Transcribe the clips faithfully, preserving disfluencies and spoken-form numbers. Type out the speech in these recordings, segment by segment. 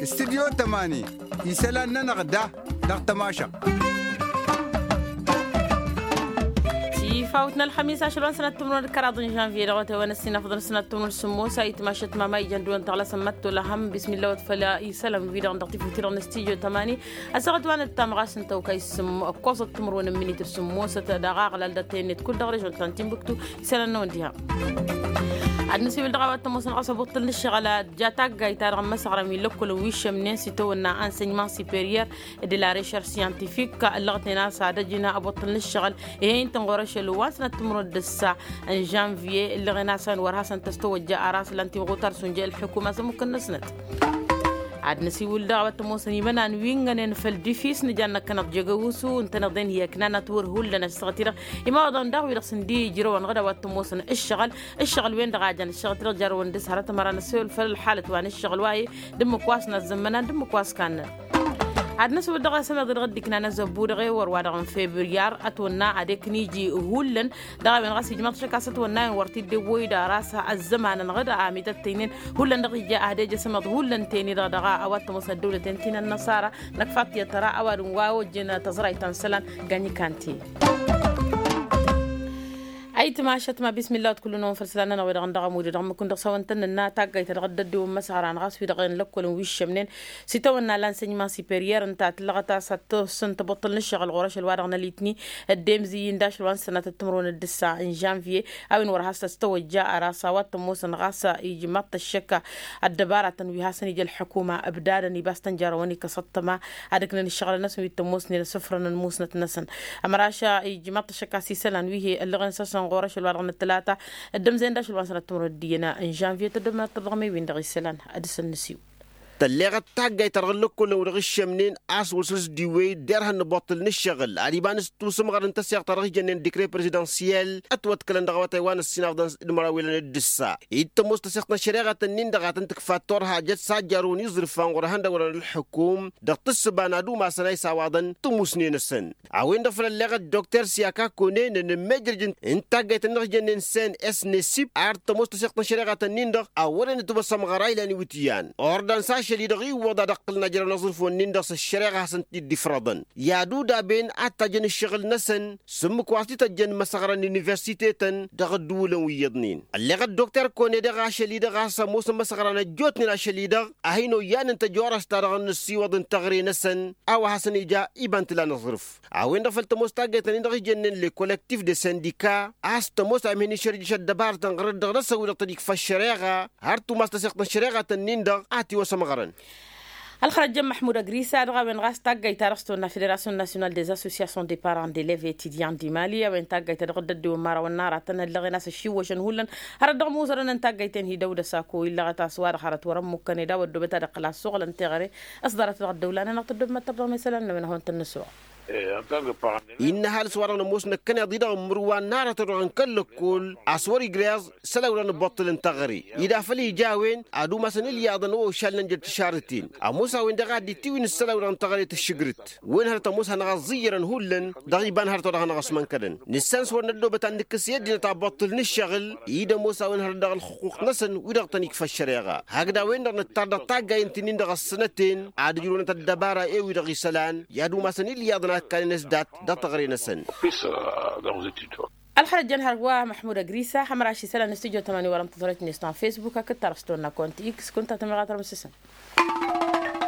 Studyo tămani isălan-nănăɣ da dăɣ-tămašăɣt. Tifawt n-ălxămis ašăl wa n-sănat timǝrwen d-kăraḍ n-žănvye dăɣ-wătay wa n-ăssinăfḍăn sănat timǝrwen d-sǝmmos a itmašăt mama ijăn dăɣ-wăn tăɣlasăn măttola hăm bismilla wătfăl isălan wi-dăɣ dăɣ-tifut-i-dăɣ n-studyo tămani. Ăssaɣăt wa n-ǝttam ɣas n-tawka isǝm ǝkkoẓăt timǝrwen n-minit d-sǝmmosăt dăɣ-aɣlal dăɣ-tennăt kull dăɣ-režon ta n-timbuktu. Isălan-năwăn diha ad-nǝsiwǝl dăɣ-a-wa t-ămoosăn ɣas ăbuṭṭǝl n-ǝššăɣǝl ad-ja taggayt-ta-dăɣ n-imăsăɣran wi n-lăkkolăn wi šămnen s-itawănna ensăynement superior de la recherche scientifique. Ǝllăɣătnen a-s ad-ăjǝn ăbuṭṭǝl n-ǝššăɣǝl ih'-e ǝnta n-ɣur-ašăl wa n-sănat timǝrwen d-ǝssa n-žănvye ǝllăɣen a-s a-wen wăr hasăn-tăstăwăjja ar aslan timɣutar s-unjăy ălḥukuma s-ămmukăn-năsnăt. Ad-năsiwǝl dăɣ-a-wa t-ămoosăn imănan wi ǝngănen făll-difis nǝjan năkkăneḍ jegăwusu ǝntăneḍ-en hi-ăknanăt wăr hullan ăššăɣăt-i-dăɣ imawăḍăn daɣ wi-dăɣ s-ǝndi ijrăwăn ɣǝd a-wa t-ămoosăn ǝššăɣǝl. Ǝššăɣǝl-wen-dăɣ a jan ǝššăɣǝl-ti-dăɣ jarrăwăn dăr-s hărăt ămăra n-ăssewăl făll-ălxalăt wa n-ǝššăɣǝl wa-e d-ǝmmǝk wa s-nazzămmănan d-ǝmmǝk wa s-kannăn. Ad-năswăl dăɣ-asămeḍ-i-dăɣ dd-iknan azăbbu dăɣ-ewăr wa dăɣ-n februar ătwănna ad-ekn iji hullan. Dăɣ-a-wen ɣas ijmaḍ-t ašăk a-s ătwănna a-wen wăr t-dd-ewwăy d-aras ăzzămanăn ɣǝd a mităttăynen hullan dăɣ-ija ad-ej asămeḍ hullan teni-dăɣ dăɣ-a-wa t-ămoosnăt dăwlăten ti n-ănnăṣara. Năkk faḍt i-ad-tăra ăwadǝm wa ojjăn tăẓrayt ta n-isălan gañ ikan ti-i. Ayǝtmašăt ma bismilla wăt kull-năwăn făll-isălan-nănăɣ wi-dăɣ n-dăɣ-ămudd dăɣ-mǝkǝn dăɣ-s hawăn-tăn-nǝnna taggayt ta dăɣ-dd-ăddiwăn imăsăɣran ɣas wi-dăɣ n-lăkkolăn wi ǝššămnen s-itawănna l-ensăynement superior ǝnta a tǝllăɣăt a-s ad-tăssǝn tăbuṭṭǝl n-ǝššăɣǝl ɣur-ašăl wa dăɣ-nălitni. Ăddemzǝy-in d-ašăl wa n-sănatăt timǝrwen d-ǝssa n-žănvye a-wen wăr has-tăstăwăjja ăras a-wa t-ămoosăn ɣas ijmaḍ-t ăššăk ăddăbaratăn wi hasăn-ija ălḥukuma ǝbdadăn ibas tăn-jarrăwăn ikăsăḍ tăma ad-ǝknăn ǝššăɣǝl-năsăn wi t-ămoosnen asǝfrăn n-musnăt-năsăn. Ămăraš ijmaḍ-t ăššăk a-s isălan wi he-ăllăɣen s-asăn ɣur-ašăl wa dăɣ-năttălata ăddămzăyăn d-ašăl wa n-sănat timǝrwen d-iyyăn n-žănvye tăddămnăt tăḍɣem i-win-dăɣ isălan ad-dăr-săn năsiwǝl. Tălleɣăt taggayt ta dăɣ-ǝllăkkolăn wi-dăɣ ǝššămnen a-s wăr săr-s dd-iwwey derhan nǝbuṭṭǝl n-ǝššăɣǝl ad-iba n-ǝstusǝmɣăr n-taseɣt ta dăɣ-ijănnen dikre prezidensyel ătwăḍkălăn dăɣ-awătay wa n-ăssinafḍăn d-măraw ilăn d-ǝssa. Dd-tămoos taseɣt n-ăššăreɣăt-ǝnnin-dăɣ a tăn-tǝkfa turha jăt s-ad-jarrăwăn iẓrǝf wa n-ɣur-ehăndăwălăn ălḥukum dăɣ-tǝssǝba n-ad-umasăn a isawaḍăn tămusnen-asăn. A-wen-dăɣ făl ălleɣăt dokter siyaka kăwănen ănămmejrăj n-taggayt-ǝnnin-dăɣ ijănnen s-en s-nesip ar tămoos taseɣt n-ăššăreɣăt-ǝnnin-dăɣ a wărăn ătwăsămɣăra ilan iwǝtyan ordans ašăl-i dăɣ-iwwăḍ ad-ăqqǝlăn ajrăwăn aẓrǝf-wen-nin-dăɣ s-ăššăreɣa a hasăn-t-dd-ifrăḍăn. I-ad-udaben ad-tajjăn ǝššăɣǝl-năsăn s-ǝmmǝk wa s-t-tăjjăn imăsăɣra n-universitetăn dăɣ-ăddǝwǝlăn wi iyyăḍnen ălleɣăt dokter kone-dăɣ ašăl-i-dăɣ a-s ămoosăn imăsăɣra n-ăjjootnen ašăl-i-dăɣ a hin-oyyanăn tăjorăst-ta-dăɣ n-ăssiwăḍ n-teɣre-năsăn a-wa hasăn-ija iba n-tǝla n-aẓrǝf. A-wen-dăɣ făl tămoos taggayt-nin-dăɣ ijănnen le kollektif de sindika a-s tămoos a imhen išărjǝš ăddăbarătăn ɣărăt dăɣ-năsăn wi-dăɣ tăn-ikfa ăššăreɣa har tumas taseɣt n-ăššăreɣa-tăn-nin-dăɣ a tiwăsămɣărăn. Ălxărăjjăn măḥmud ăgrisa dăɣ-a-wen ɣas taggayt-ta-dăɣ s-tăwănna federasyon nasyonal des associations de parents d-elevs etidyan dimali a-wen taggayt-ta-dăɣ dd-ăddiwăn imărawăn n-aratăn ăllăɣen a-s ăššiwwăšăn hullan hărăt dăɣ-imuzărăn n-taggayt-en hi-dăwdăs ako illăɣăt a-s wa-dăɣ hărăt wăr-ămmukkăn ed a-wa ăddoobăt ad-ăqqǝl asuɣǝl n-teɣăre. S-ḍarăt dăɣ-ăddăwla-nănăɣ tăddoobmăt tăbdăɣ mesălan n-a-wen ad-hawăn-tăn-nǝssuɣ. Innă ăhalǝs wa-dăɣ nămoos năkkăneḍ-i-dăɣ ǝmmǝrǝwăn n-aratăn-dăɣ n-kăl-lăkkol a-s wăr-igrăẓ isălan wi-dăɣ nǝbbuṭṭǝl n-teɣăre. Ed afăl ija a-wen ad-umasăn ilyaḍăn wa ošalnen jăr-tišarrǝten. Ămoos a-wen-dăɣ a dd-itiwǝy n-isălan wi-dăɣ n-teɣăre tǝššǝgrǝt wen hărăt ămoos hanăɣ-ăẓẓǝyyărăn hullan dăɣ-iba n-hărăt wa dăɣ-hanăɣ-ăsmănkădăn. Nǝssan s-wăr năddoobăt ad-nǝkkǝs i-ăddinăt abuṭṭǝl n-ǝššăɣǝl-i d-ămoos a-wen hărăt dăɣ-ălxuqquq-năsăn wi-dăɣ tăn-ikfa ăššăreɣa. Hakd a-wen-dăɣ nǝttar dăɣ-taggay ǝnta-nin-dăɣ ăssănăten ad-ǝjrǝwnăt ăddăbara i-wi-dăɣ isălan i-ad-umasăn ilyaḍăn a ǝkkanen s-dat dăɣ-teɣăre-năsăn. Ălxărăjjăn hărwa măḥmud ăgrisa hămăraš isălan n-studyo tămani wăr-ăntăẓrăt-net ta n-facebook hakd tarăstonna kont x kunta tămăɣatărăm s-săn.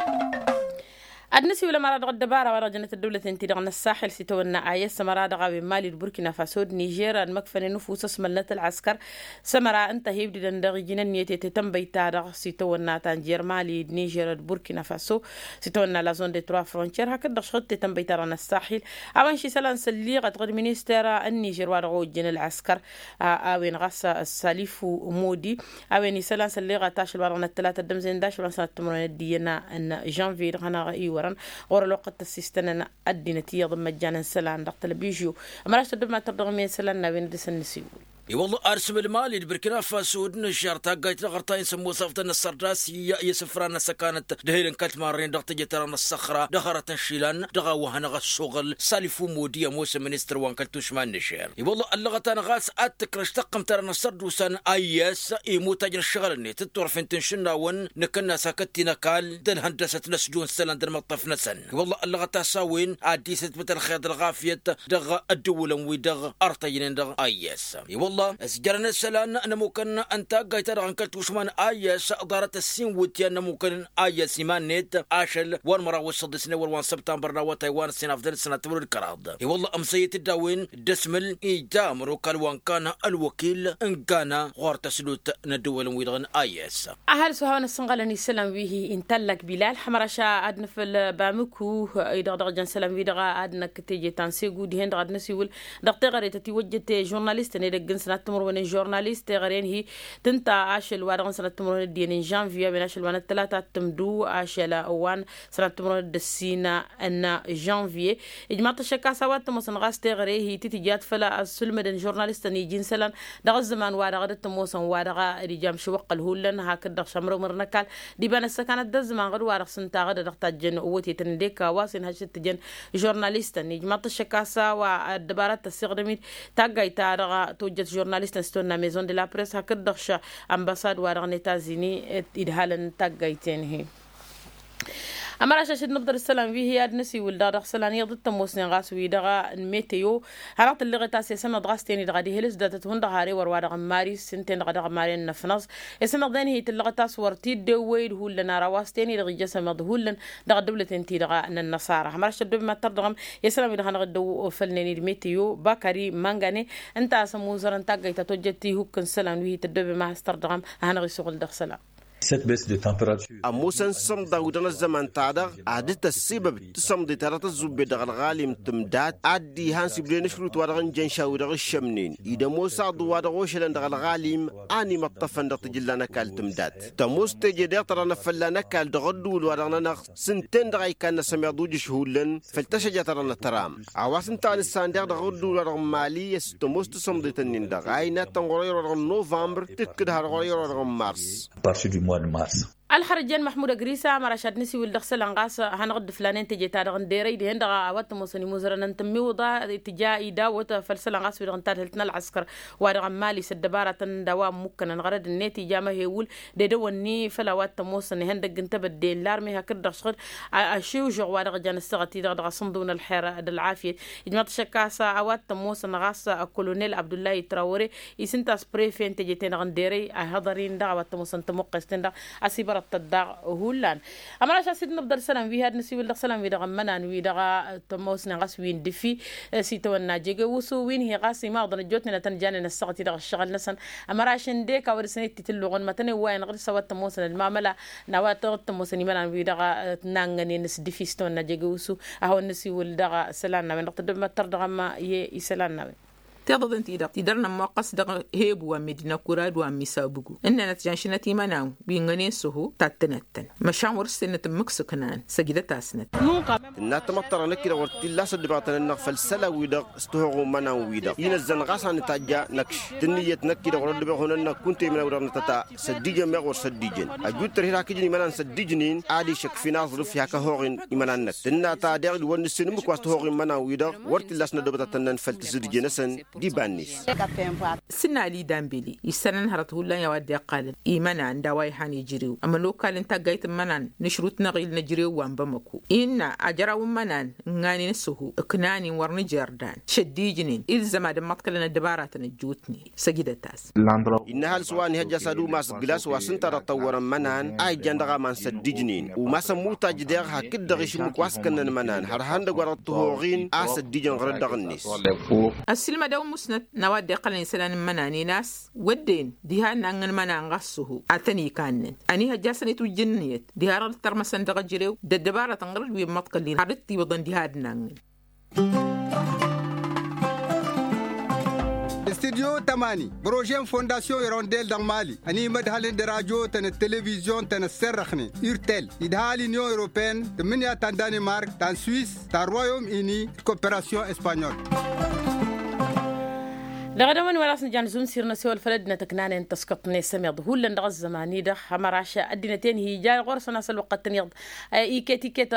Ad-năsiwǝl ămăra dăɣ-ăddăbara wa dăɣ-jănnăt ăddăwlăten-ti-dăɣ n-ăssaxel s-itawănna a i-ăssămăra dăɣ-a-wen mali d-burkina faso d-nižer ad-măkfănen ufus ăsmălnăt ălɣăskăr s-ămăra ǝnta a hi-ibdǝdăn dăɣ-iji n-ǝnniyăt i-tetănbăyt-ta-dăɣ s-itawănna ta n-jer mali d-nižer d-burkina faso s-itawănna la zone de trois frontières hakd-dăɣ šăɣ-t tetănbăyt-ta-dăɣ n-ăssaxel. A-wen šisălan sălliɣăt ɣǝd minister n-nižer wa dăɣ-ojjăn ălɣăskăr a-wen ɣas salifu modi. A-wen isălan sălliɣăt ašăl wa dăɣ-năttălat ăddămzen d-ašăl wa n-sănăt timǝrwen d-iyyăn n-žănvye dăɣ-hanăɣ-iwărăn ɣur-ălwăqqăt tăssistănăn ăddinăt iyyăḍ n-măjjan n-isălan dăɣ-tălbižyo. Ămăraš tăddăbmat tărdăɣ-mi isălan n-a-wen ad-dăr-săn nǝsiwǝl. I-wălla ad-sǝm ălmali d-bărkina faso d-nǝžžar taggayt dăɣ-ɣărtayăn s-ămoos afḍăn n-ăssărdas i-isǝfran n-asăkanăt d-ehel n-kăl-timarren dăɣ-teje-ta-dăɣ n-ăssăxra dăɣ-hărăt n-išilan dăɣ-a-wa hanăɣ-ăssoɣăl salifu modi ămoosăn ministăr wa n-kăl-tušma n-nǝžžer. I-wălla ăllăɣăt-anăɣ a-s ad-tǝkrăš taqqǝmt-ta-dăɣ n-ăssărdusan a i-s imuttaj n-ǝššăɣǝl-net d-turfen ti n-išǝnnawăn nǝkǝnnas hakd ti n-ăkall d-ălhăndăsăt n-ăsdon isălan d-ălmăṭṭăf-năsăn. I-wălla ăllăɣăt a-s a-wen ad-dd-isǝtbǝt ălxer d-ălɣafyăt dăɣ-ăddǝwǝlăn-wi-dăɣ ărtăjnen dăɣ-a i-s. I-wălla ăsjărăn isălan n-ămukăn n-taggayt-ta-dăɣ n-kăl-tušma n-a i-s ḍarăt ăssinwǝtyan n-ămukăn a i-s iman-net ašăl wa n-măraw s-săḍisnen wăr wa n-săbtambăr n-awătay wa n-ăssin afḍăn d-sănat timǝrwen d-kăraḍ. I-wălla ămsăyăt-dd a-wen d-asmǝl ija ămănokal wa n-kan ălwăkil n-gana ɣur-tăslut n-ăddǝwălăn-wi-dăɣ n-a i-s. Ahăl s-u hawăn ăssănɣălăn isălan wi-hi intallak bilal hămăraš ad-nǝfǝl bamǝku-i-dăɣ dăɣ-jăn isălan-wi-dăɣ ad-năkk teje ta n-segu dihen-dăɣ ad-năsiwǝl dăɣ-teɣăre ta tiwăjjăt žurnalistăn edăgg n-sănat timǝrwen n-žurnalist teɣăre n-hi tǝnta ašăl wa dăɣ-n sănat timǝrwen d-iyyăn n-žanviye a-wen ašăl wa n-ăttălata ad-tǝmdu ašăl wa n-sănat timǝrwen d-ăssin n-žanviye. Ijmaḍ-t ăššăk a-s a-wa t-ămoosăn ɣas teɣăre-hi ti tǝjat făll-asǝlmădăn žurnalistăn iji n-isălan dăɣ-ăzzăman-wa-dăɣ a dd-ămoosăn wa-dăɣ d-ija amšǝwăqqăl hullan hakd-dăɣ šamrămr n-ăkall d-iba n-ăssăkanăt d-ăzzăman ɣǝd-wa-dăɣ s-ǝnta ɣǝd-dăɣ tajjăn ăwwătetăn d-eka wa s-inhăš d-tǝjăn žurnalistăn ijmaḍ-t ăššăk a-s a-wa ăddăbarăt tăssiɣdăm-dd taggayt-ta-dăɣ tojjăt žurnalistăn s-tonna maison de la press hakd-dăɣ š-ănbăsad-wa-dăɣ n-etazini idhalăn taggayt-en-hi. Ămăraš ašăl d-nǝbḍăr isălan wi hi-ad-năsiwǝl-dăɣ dăɣ-isălan iyyăḍ d-tămoosnen ɣas wi-dăɣ n-meteo hanăɣ-tǝlleɣet a-s i-sămmeḍ ɣas ten-i-dăɣ ad-ihǝlǝs datăt hundăɣ har ewăr wa dăɣ-n maris ǝnta-en-dăɣ a dăɣ-maren n-ăfnăẓ. I-sămmeḍ-en-hi tǝllăɣăt a-s wăr t-dd-ewwăy d-hullan ara wa s-ten-i-dăɣ ija sămmeḍ hullan dăɣ-ăddăwlăten-ti-dăɣ n-ănnăṣara hămăraš tăddobem ad-tărdăɣăm i-isălan wi-dăɣ hanăɣ-dd-ewwăfălnen d-meteo bakări măngane ǝnta a-s ămuzărăn taggăyt ta tojjăt ihukk n-isălan wi hi-tăddobem a has-tărdăɣăm a hanăɣ-isuɣǝl dăɣ-isălan. Ămoosăn isămḍa wi-dăɣ n-ăzzăman-ta-dăɣ ad-dd-tăssibăb tisămḍe ta dăɣ-tăzzubbet dăɣ-ălɣalim tǝmdat ad-dd-ihan s-iblen ašrut wa dăɣ-n jănša wi-dăɣ ǝššămnen-i d-ămoos aḍu wa dăɣ-ošălăn dăɣ-ălɣalim a n-imăṭṭăfăn dăɣ-tijǝlla n-ăkall tǝmdat. Tămoos teje deɣ tărănăt fălla n-ăkall dăɣ-ădduul wa dăɣ-nănăɣ s-ǝnta-en-dăɣ a ikannă sămiḍ ujǝš hullan făll-tăšăja ta dăɣ-nătăram. A-wa s-ǝnta a nǝssan deɣ dăɣ-ădduul wa dăɣ-n mali i-s tămoos tisămḍet-nin-dăɣ a innă ad-tăn ɣur-eyăr wa dăɣ-n novămbăr tǝkkǝd har ɣur-eyăr wa dăɣ-n mars. Ălxărjăn măḥmud ăgrisa ămăraš ad-nǝsiwǝl dăɣ-isălan ɣas hanăɣ-dd-ǝflanen teje-ta-dăɣ n-derăy dihen-dăɣ a-wa t-ămoosăn imuzărăn n-tǝmmiwǝḍa tǝja idawăt făll-isălan ɣas wi-dăɣ n-tadhǝlt n-ălɣăskăr wa dăɣ-n mali s-ăddăbaratăn d-a-wa ămmukkănăn ɣărăd-net ija amăhewǝl d-edăwănni făll-a-wa t-ămoosăn ihăndăgg n-tebădde n-larme hakd-dăɣ šăɣǝd ašiwžăɣ wa dăɣ-jan ǝssăɣăt-i-dăɣ dăɣ-asǝnḍǝw n-ălxer d-ălɣafyăt. Ijmaḍ-t ašăk a-s a-wa t-ămoosăn ɣas ăkkolonel abdullahi trawăre isǝnta a-s prefe n-teje-ten-dăɣ n-derăy a ihăḍăr-in-dăɣ a-wa t-ămoosăn tămuqqes-ten-dăɣ a-s ibărăḍ-tăt daɣ hullan. Ămăraš a-s dd-nǝbḍăr isălan wi hi-ad-nǝsiwǝl dăɣ-isălan wi-dăɣ n-imănan wi-dăɣ tămoosnen ɣas wi n-dǝfi s-itawănna jege usu wi n-hi ɣas imaḍăn ăjjootnen ad-tăn-janen ăssaɣăt-i-dăɣ ăššăɣǝl-năsăn. Ămăraš ǝndek a-wa dăr-săn ittitǝlluɣăn mătăn i-ăwwayăn ɣǝr-s a-wa t-ămoosăn ălmamăla n-a-wa t-ămoosăn imănan wi-dăɣ. T-nangănen s-dǝfi s-itawănna jege usu a hawăn-nǝsiwǝl dăɣ-isălan n-a-wen dăɣ-tăddobem ad-tărdăɣăm i-isălan n-a-wen. Tiḍăḍen-ti-dăɣ tidăr nămmoqqăs dăɣ-hebu wa n-medina kura d-wa n-misabǝgu ǝnnănăt janšǝnăt imănan wi ǝngănen s-oho tattǝnăt-tăn măšan wăr-s tennăt ǝmmǝk s-ǝknan săjdăt-asnăt. Tǝnna tamăḍt-ta-dăɣ năkk-i-dăɣ wăr t-illa a-s ăddăbeɣ tăn-ănnăɣ făll-isălan-wi-dăɣ s-tihăɣu n-imănan-wi-dăɣ inăzzăn ɣas a nǝtajja năkš d-ǝnniyăt năkk-i-dăɣ wăr-ăddăbeɣ hun-ănnăɣ kunta imănan-wi-dăɣ nătăta săddijăn meɣ wăr săddijăn ăjut tărhed hakd ijăn imănan săddijnen ad-išăkf'-in aẓrǝf i-hak ăhoɣen imănan-năk tǝnna ta deɣ d-wăr nǝssen ǝmmǝk wa s-tăhoɣen imănan-wi-dăɣ wăr t-illa a-s nădobăt ad-tăn-nănfăl tisǝdje-năsăn d-iba-net. S-ǝnn ali dambeli issănăn hărăt hullan i-a-wa dd-iqqalăn imănan d-a-wa ihan ijrew ămănokal n-taggayt n-imănan n-ašrut n-aɣil n-ejrew wa n-bamăko innă ajăraw n-imănan ǝnganen s-oho ǝknanen wăr nǝjer dan šăddijnen ilzăm ad-ămmăḍkălăn ăddăbaratăn ăjjootnen săjdăt-as. Innă ăhalǝs wa n-ihăjja s-ad-umas glas wa s-ǝnta dăɣ-tăwwărăn imănan a ijjan dăɣ-aman săddijnen umas ămmutaj deɣ hakd-dăɣ išǝmmǝk wa s-kănnăn imănan har ihăndăgg wa dăɣ-tǝhoɣin a săddijăn ɣărăt dăɣ-net. Ăssiilmădăw n-musnăt n-a-wa dd-iqqălăn isălan n-imănanen a-s wădden diha ănnaŋŋăn imănan ɣas s-oho ad-tăn-ikannen ăniihăjja a-s ănitwǝjja ǝnniyăt diha dăɣ-dd-tărmăsăn dăɣ-ejărew d-ăddăbarătăn ɣărăt wi ămmăḍkălnen har dd-tiwǝḍăn diha ad-naŋŋăn. Studyo tămani bărožen fondasyon irondel dăɣ-mali ănimădhălăn d-radyo-tăn d-televizyon-tăn ăssărrăxnen urtel idha l-inyon europeyăn tǝmmǝnǝya ta n-danimark ta n-swiss ta n-royom ini d-koperasyon espanyol. Dăɣ-edăwăn wa dăɣ-s nǝja nǝzum sir n-asewăl făll-ăddinăt ǝknanen tăskăṭ n-esămeḍ hullan dăɣ-ăzzăman-i-dăɣ ămăraš ăddinăt-en hi-ija ɣur-săn a-s ălwăqqăt-tăn iyyăḍ. Iket iket.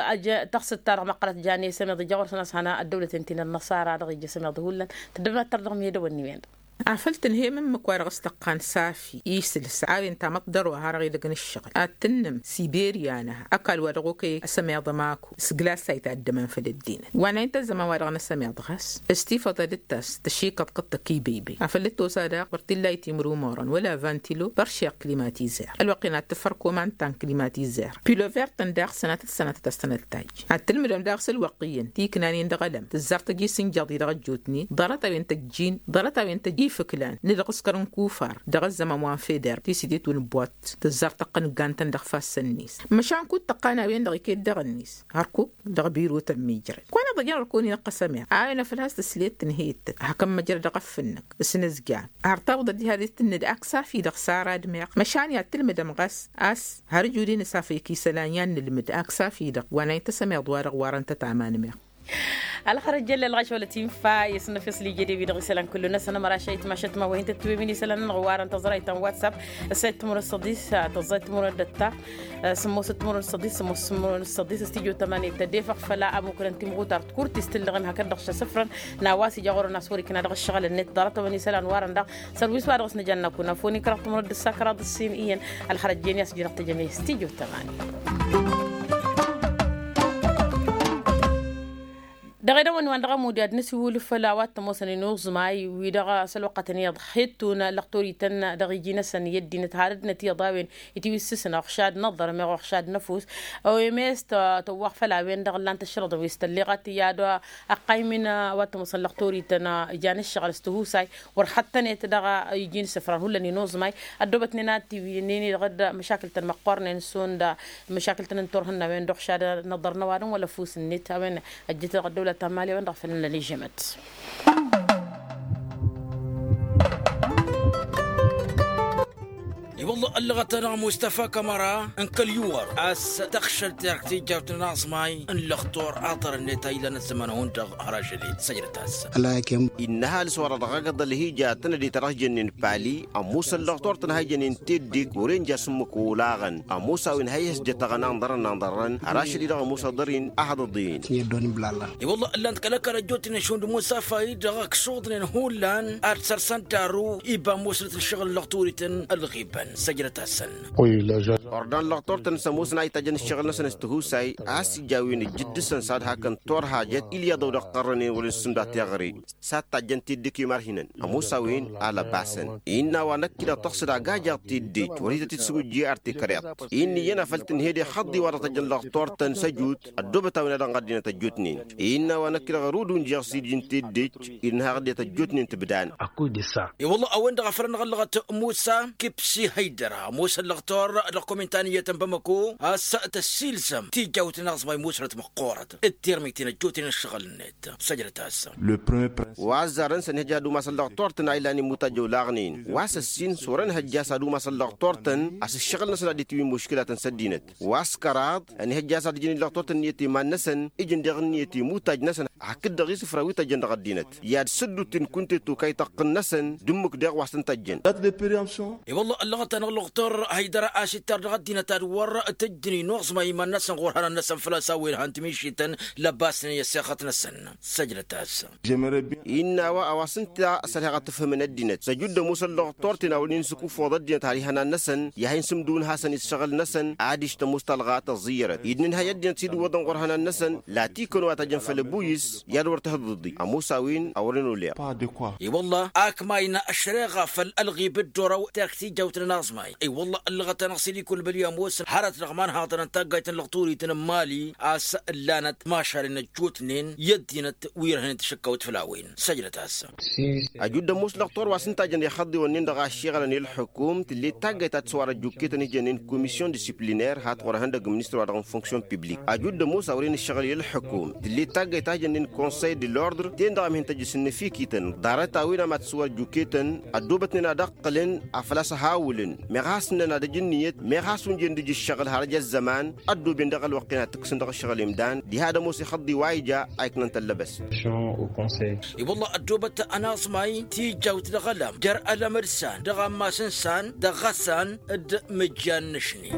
Tăɣsǝtta-dăɣ măqqărăt jan esămeḍ ija ɣur-săn a-s hana ăddăwlăt-en ti n-ănnăṣara-dăɣ ija esămeḍ hullan. Tǝddǝbnăt-tăr dăɣ-mi edăwănni-wen-dăɣ. Afăl tǝnhăyăm ǝmmǝk wa dăɣ-s tăqqan safi isǝlǝs a-wen tamăḍt dăr-wa har-dăɣ-idăgg n-ǝššăɣǝl ad-tǝnnǝm siberiya-năha ăkall wa dăɣ-okăy ăsămeḍ ămaku s-glasay ta ăddăman făll-ăddinăt. Wa n-a-in tăzzăman wa dăɣ-năsămeḍ ɣas s-tifăḍ ad-dd-tas tăšikăḍ kăttăk ibăybăy afăl dd-tosa daɣ wăr t-illa i-timrumorăn wăla vantilo băršeɣ klimatizer ălwăqq-in ad-tǝfăr komant ta n-klimatizer pilover-tăn daɣ sănatăt sănatăt a-s tănăltaj. Ad-tǝlmǝdăm daɣ s-ălwăqq iyyăn ti ǝknanen dăɣ-ălăm tǝzzar tăj-i s-injăḍ-i dăɣ-ăjjootnen ḍarăt-a-wen tăjjin ḍarăt-a-wen tăj-ifǝklan n-ǝlɣǝskăr n-kufar dăɣ-ăzzăman wa n-feder ti s-idet wǝnǝbwat tǝzzar tăqqăn ǝggan-tăn dăɣ-ifassăn-net. Măšan kud-tăqqan a-wen-dăɣ iket dăɣ-net hărkuk dăɣ-birotăn mijrăd kăwăn-iḍăjăn ărkun-in ăqqăsăm iɣ a-wen afăl has-tǝslet tǝnhăyăt-tăn hakăn măjrăd dăɣ-ăffǝnnăk s-inǝzjan har tawǝḍăt diha d-tǝnnǝd ak safi-dăɣ s-ara d-meɣ măšan i-ad-tǝlmǝdăm ɣas a-s har ǝjudin s-afăyăk isălan i-ad-nǝlmǝd ak safi-dăɣ wa n-a-in tăsămeḍ wa-dăɣ warăn-tăt aman meɣ. Ălxărăt jălla ălɣaš wăla tinfa i-săn năfeṣ lijăde wi-dăɣ isălan kullu-năsăn ămăraš a itmašăt ma wa hin-tăt-tiwǝymin isălan-nănăɣ warăn tăẓrayt ta n-whatsapp. Ăssayăt timǝrwen s-săḍis tăẓrayt timǝrwen d-ătta sǝmmosăt timǝrwen s-săḍis sǝmmosăt timǝrwen s-săḍis s-tijot tămanet tădefăɣ făla ămukrăn timɣutar t-kurt istǝllăɣem hakd-dăɣ šăsǝfrăn n-a-wa s-ija ɣur-ănn a-s wăr-ikna dăɣ-ǝššăɣǝl-net ḍarăt-a-wen isălan warăn-dăɣ. Sărwis wa dăɣ-s nǝjănna kunăfoni kăraḍ timǝrwen d-ǝssa kăraḍ ǝssin iyyăn. Ălxărăt jen i-a-s jănăɣ tejăme s-tijot tămanet. Dăɣ-edăwăn wa n-dăɣ-ămud i-ad-nǝsiwǝl făll-a-wa t-ămoosăn inuẓmay wi-dăɣ s-ălwăqqătăn iyyăḍ hettun lăxtorităn dăɣ-iji-năsăn i-ăddinăt har ăddinăt iyyăḍ a-wen itiwǝssǝsnăɣ uɣšad n-aḍărmeɣ uɣšad n-ăfuss. Oemes tăwwăɣ făll-a-wen-dăɣ ǝllan-t ăššărăḍăn wi s-tălleɣăt i-ad-ăqqaymin wa t-ămoosăn lăxtorităn ijan ǝššăɣǝl s-tihusay wăr xăttănet dăɣ-iji n-isǝfran hullan inuẓmay. Ăddoobătnen ad-tiwǝynen-i dăɣ-dd-măšakǝl-tăn măqqornen šund măšakǝl-tăn n-turhǝnna a-wen-dăɣ ušad n-aḍărnăwadăn wăla ăfuss-net a-wen ăjjăt dăɣ-ăddăwlăt ta n-mali a-wen-dăɣ făl nănăl ižămăt. I-wălla ăllăɣăt-anăɣ mustăfa kămăra n-kăl-iwăr a-s tăɣšăl terk tijjawt n-aẓmay n-lăxtur aḍăr-net a ilan ăzzăman-hund-dăɣ har ažăl-in săjdăt-as. Innă ăhalǝs-wa-dăɣ dăɣ-agǝḍ ălhija tănăde ta dăɣ-s jănnen pali ămoosăn lăxtur-tăn ha ijănen teddek wăren ja s-ǝmmǝk olaɣăn. Ămoos a-wen ha ihăsjăt aɣăna n-ḍarăn n-aḍărrăn har ašăl-i-dăɣ ămoos aḍăr-in ahăḍăḍen. I-wălla ǝllan-t kăl-ăkall ăjjootnen šund musafa-i-dăɣ ăksuḍnen hullan ad-sărsăn daru iba ămoosnăt n-ašăɣǝl n-lăɣturităn ălɣibăn săjdăt-asăn. Ordan lăɣtort-tăn s-ămoosăn a itajjăn ǝššăɣǝl-năsăn s-tihusay a-s ija a-wen ǝjjǝd dăɣ-săn s-ad-hakăn turhajăt ilyaḍăw dăɣ-iqqărrănen wăren s-sǝmda tiɣri. S-ad-tajjăn teddek i-imarhinăn ămoos a-wen a lăbasăn. Innă a-wa năkk-i-dăɣ tăɣsăd agajaḍ teddej wăr hi-tăt-dd-sǝwǝjje ar tekăreḍt. Innă iyyăn a făl tǝnhed ixăḍḍi wa dăɣ-tăjjăn lăɣtort-tăn s-ăjut ăddoobăt a-wen a dăɣ-ăddinăt ăjjootnen. Innă a-wa năkk-i-dăɣ ărud unjăɣ s-iji n-teddej. Dd-nǝhaɣ ăddinăt ăjjootnen tǝbdan. I-wălla a-wen-dăɣ a făl ănɣăllăɣăt musa kipsi hăydăra ămoosăn lăɣtor dăɣ-komintaniyyăt n-bamăko a-s tăssilzăm tijawt n-aẓmay musrăt măqqoorăt d-tirmiten ăjjootnen ǝššăɣǝl-net săjdăt-as. Wa ăzzarăn s-ănhăj ad-umasăn lăɣtor-tăn a ilan imuttaj olaɣnen wa s-ăssin s-wăr-ănhăjja a-s ad-umasăn lăɣtor-tăn a-s ǝššăɣǝl-năsăn ad-dd-itiwǝy muškǝlatăn s-ăddinăt. Wa s-kăraḍ ănhăjja a-s ad-ǝjǝn i-lăɣtor-tăn ǝnniyăt iman-năsăn ǝjǝn deɣ ǝnniyăt imutaj-năsăn hakd-dăɣ isǝfra wi tăjjăn dăɣ-ăddinăt i-ad-săddut n-kunte tokay tăqqǝn-năsăn d-ǝmmǝk deɣ wa s-tăn-tăjjăn. Dat de periamsyon. I-wălla ăllăɣăt-anăɣ lăɣtor hăydăra a-s ittar dăɣ-ăddinăt ad-wăr tǝjjǝn inuẓma iman-năsăn ɣur-hănan-năsăn făl-a-s a-wen han timišităn lăbasnen i-ăssexăt-năsăn. Săjdăt-as. Innă a-wa a-wa s-ǝnta s-ărheɣ ad-t-ǝfhǝmăn ăddinăt s-ăjud d-ămoos ăllăɣtor-ten a wăren isǝkuffoḍ ăddinăt har ihănan-năsăn i-ad-hin-sǝmdǝwǝn hasăn-i s-ašăɣǝl-năsăn adiš tămoos talɣa tăẓẓiyyărăt-i d-nǝnhăy ăddinăt s-idǝwwăḍăn ɣur-hănan-năsăn. Latikăn wa tăjjăn făll-ăbuyǝs i-ad-wăr tǝhǝḍǝḍi ămoos a-wen a wăren oleɣ. I-wălla ak mayna ăšreɣa făll-ălɣib d-orăw terk tijawt n-anaẓmay. I-wălla ăllăɣăt-anăɣ s-dd-ikul băli ămoosăn hărăt dăɣ-imanhaḍăn n-taggayt n-lăɣturit n-mali a-s ǝllanăt mašalen ăjjootnen i-ăddinăt wi ărhănen tăšǝkkawt făll-a-wen. Săjdăt-as. Ăjud ămoos lăɣtor wa s-ǝnta a jăn ixăḍḍiwăn-nin-dăɣ a ăššiɣălăn i-ălḥukum tǝllet taggayt ta d-săwar ăjjukketăn ijănnen komisyon discipliner hat ɣur-ehăndăgg ministăr wa dăɣ-n fonksyon piblik. Ăjud ămoos a wăren ǝššăɣǝl i-ălḥukum tǝllet taggayt ta ijănnen konsăy de lordre ten-dăɣ a mihǝn tăjjǝs n-inǝfikităn ḍarăt-a-wen a mad-săwar ăjjukketăn ăddoobătnen ad-ăqqǝlăn afăl a-s ăhawǝlăn meɣ a hasnăn ad-ăj ǝnniyăt. Has-unjen d-ija ǝššăɣǝl har ăj ăzzăman ăddooben dăɣ-ălwăqq-en ad-t-ǝkkǝsăn dăɣ-ǝššăɣǝl imdan diha ad-ămoos ixăḍḍi wa ija a iknăn tăllăbăst. I-wălla ăddoobăt ănaẓmay tijjawt dăɣ-ălăm jer-ălăm d-san dăɣ-ammas n-san dăɣ-ɣăsan d-mǝjjan n-ašni.